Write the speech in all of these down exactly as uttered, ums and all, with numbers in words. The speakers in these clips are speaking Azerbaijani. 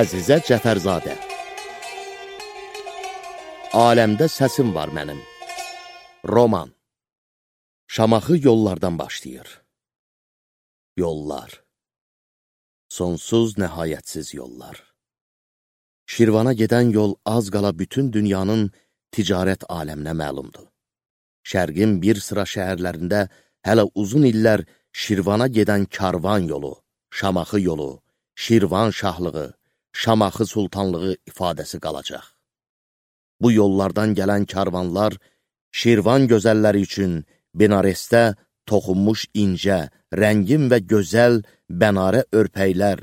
Əzizə Cəfərzadə. Aləmdə səsim var mənim. Roman. Şamaxı yollardan başlayır. Yollar. Sonsuz, nəhayətsiz yollar. Şirvana gedən yol az qala bütün dünyanın ticarət aləminə məlumdur. Şərqin bir sıra şəhərlərində hələ uzun illər Şirvana gedən karvan yolu, Şamaxı yolu, Şirvan şahlığı, Şamaxı sultanlığı ifadəsi qalacaq. Bu yollardan gələn karvanlar Şirvan gözəlləri üçün Benaresdə toxunmuş incə, rəngin və gözəl bənarə örpəklər,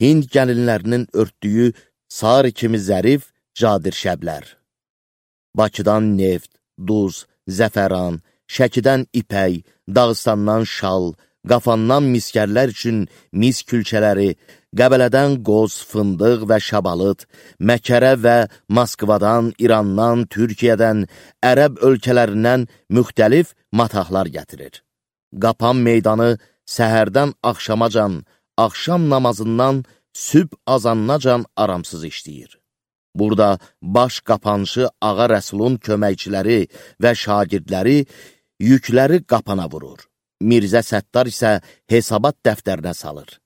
Hind gəlinlərinin örtdüyü sarı kimi zərif cadirşəblər. Bakıdan neft, duz, zəfəran, Şəkidən ipək, Dağıstandan şal, Qafandan miskərlər üçün mis külçələri, Qəbələdən qoz, fındıq və şabalıt, Məkərə və Moskvadan, İrandan, Türkiyədən, Ərəb ölkələrindən müxtəlif matahlar gətirir. Qapan meydanı səhərdən axşamacan, axşam namazından sübh azannacan aramsız işləyir. Burada baş qapanışı Ağa Rəsulun köməkçiləri və şagirdləri yükləri qapana vurur. Mirzə Səttar isə hesabat dəftərinə salır.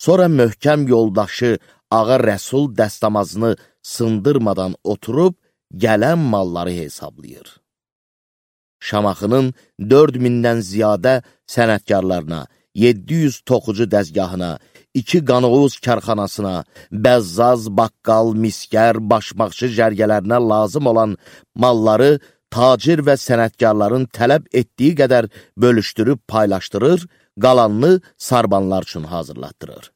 Sonra möhkəm yoldaşı Ağa Rəsul dəstəmazını sındırmadan oturub gələn malları hesablayır. Şamaxının dörd mindən ziyadə sənətkarlarına, yeddi yüz toxucu dəzgahına, iki qanoğuz kərxanasına, bəzzaz, baqqal, miskər, başmaqçı cərgələrinə lazım olan malları tacir və sənətkarların tələb etdiyi qədər bölüşdürüb paylaşdırır, qalanını sarbanlar üçün hazırlatdırır.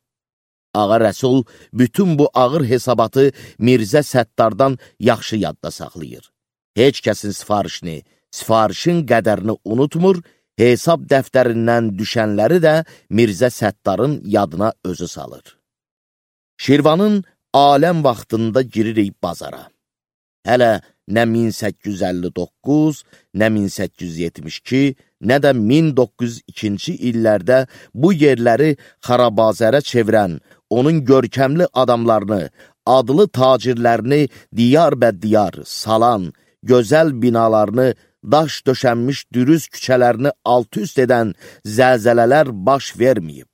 Ağa Rəsul bütün bu ağır hesabatı Mirzə Səttardan yaxşı yadda saxlayır. Heç kəsin sifarişini, sifarişin qədərini unutmur, hesab dəftərindən düşənləri də Mirzə Səttarın yadına özü salır. Şirvanın aləm vaxtında giririk bazara. Hələ nə min səkkiz yüz əlli doqquz, nə min səkkiz yüz yetmiş iki, nə də min doqquz yüz ikinci illərdə bu yerləri xarabazərə çevirən, onun görkəmli adamlarını, adlı tacirlərini diyar-bə-diyar salan, gözəl binalarını, daş döşənmiş dürüz küçələrini alt-üst edən zəlzələlər baş verməyib.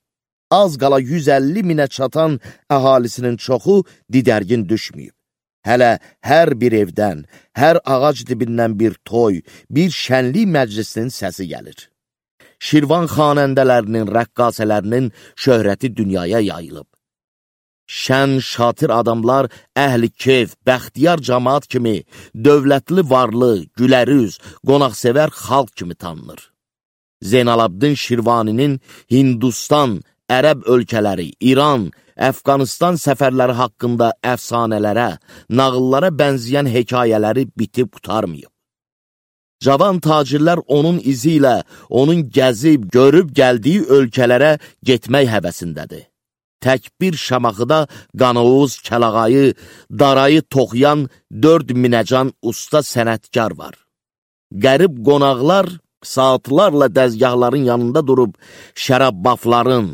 Az qala yüz əlli minə çatan əhalisinin çoxu didərgin düşməyib. Hələ hər bir evdən, hər ağac dibindən bir toy, bir şənlik məclisinin səsi gəlir. Şirvan xanəndələrinin, rəqqasələrinin şöhrəti dünyaya yayılıb. Şən, şatir adamlar əhli keyf, bəxtiyar cəmaat kimi, dövlətli varlı, gülərüz, qonaqsevər xalq kimi tanınır. Zeynalabdin Şirvaninin Hindistan, Ərəb ölkələri, İran, Əfqanistan səfərləri haqqında əfsanələrə, nağıllara bənzəyən hekayələri bitib qutarmayıb. Cavan tacirlər onun izi ilə, onun gəzib, görüb gəldiyi ölkələrə getmək həvəsindədir. Tək bir Şamaxıda Qanoğuz, Kəlağayı, Darayı toxuyan dörd minəcan usta sənətkar var. Qərib qonaqlar saatlarla dəzgahların yanında durub şərabbafların,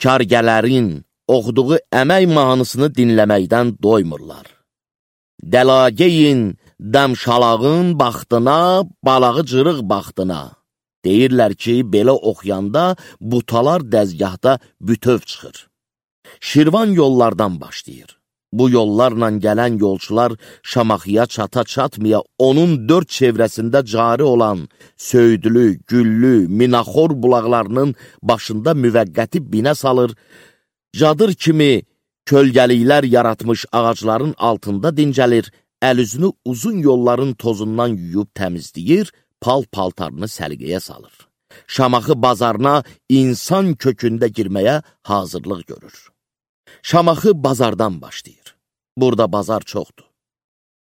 kargələrin oxuduğu əmək mahnısını dinləməkdən doymurlar. Dəlagəyin dəmşalağın baxdına, balağı cırıq baxdına. Deyirlər ki, belə oxuyanda butalar dəzgahda bütöv çıxır. Şirvan yollardan başlayır. Bu yollarla gələn yolçular Şamaxıya çata-çatmaya onun dörd çevrəsində cari olan Söydülü, Güllü, Minaxor bulaqlarının başında müvəqqəti binə salır, cadır kimi kölgəliklər yaratmış ağacların altında dincəlir, əl-üzünü uzun yolların tozundan yuyub təmizləyir, pal-paltarını səliqəyə salır. Şamaxı bazarına insan kökündə girməyə hazırlıq görür. Şamaxı bazardan başlayır. Burada bazar çoxdur.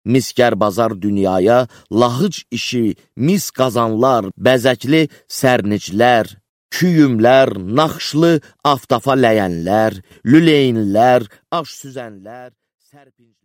Miskər bazar dünyaya, lahıc işi, mis qazanlar, bəzəkli sərniclər, küyümlər, naxşlı aftafa ləyənlər, lüleynlər, aş süzənlər, sərpinç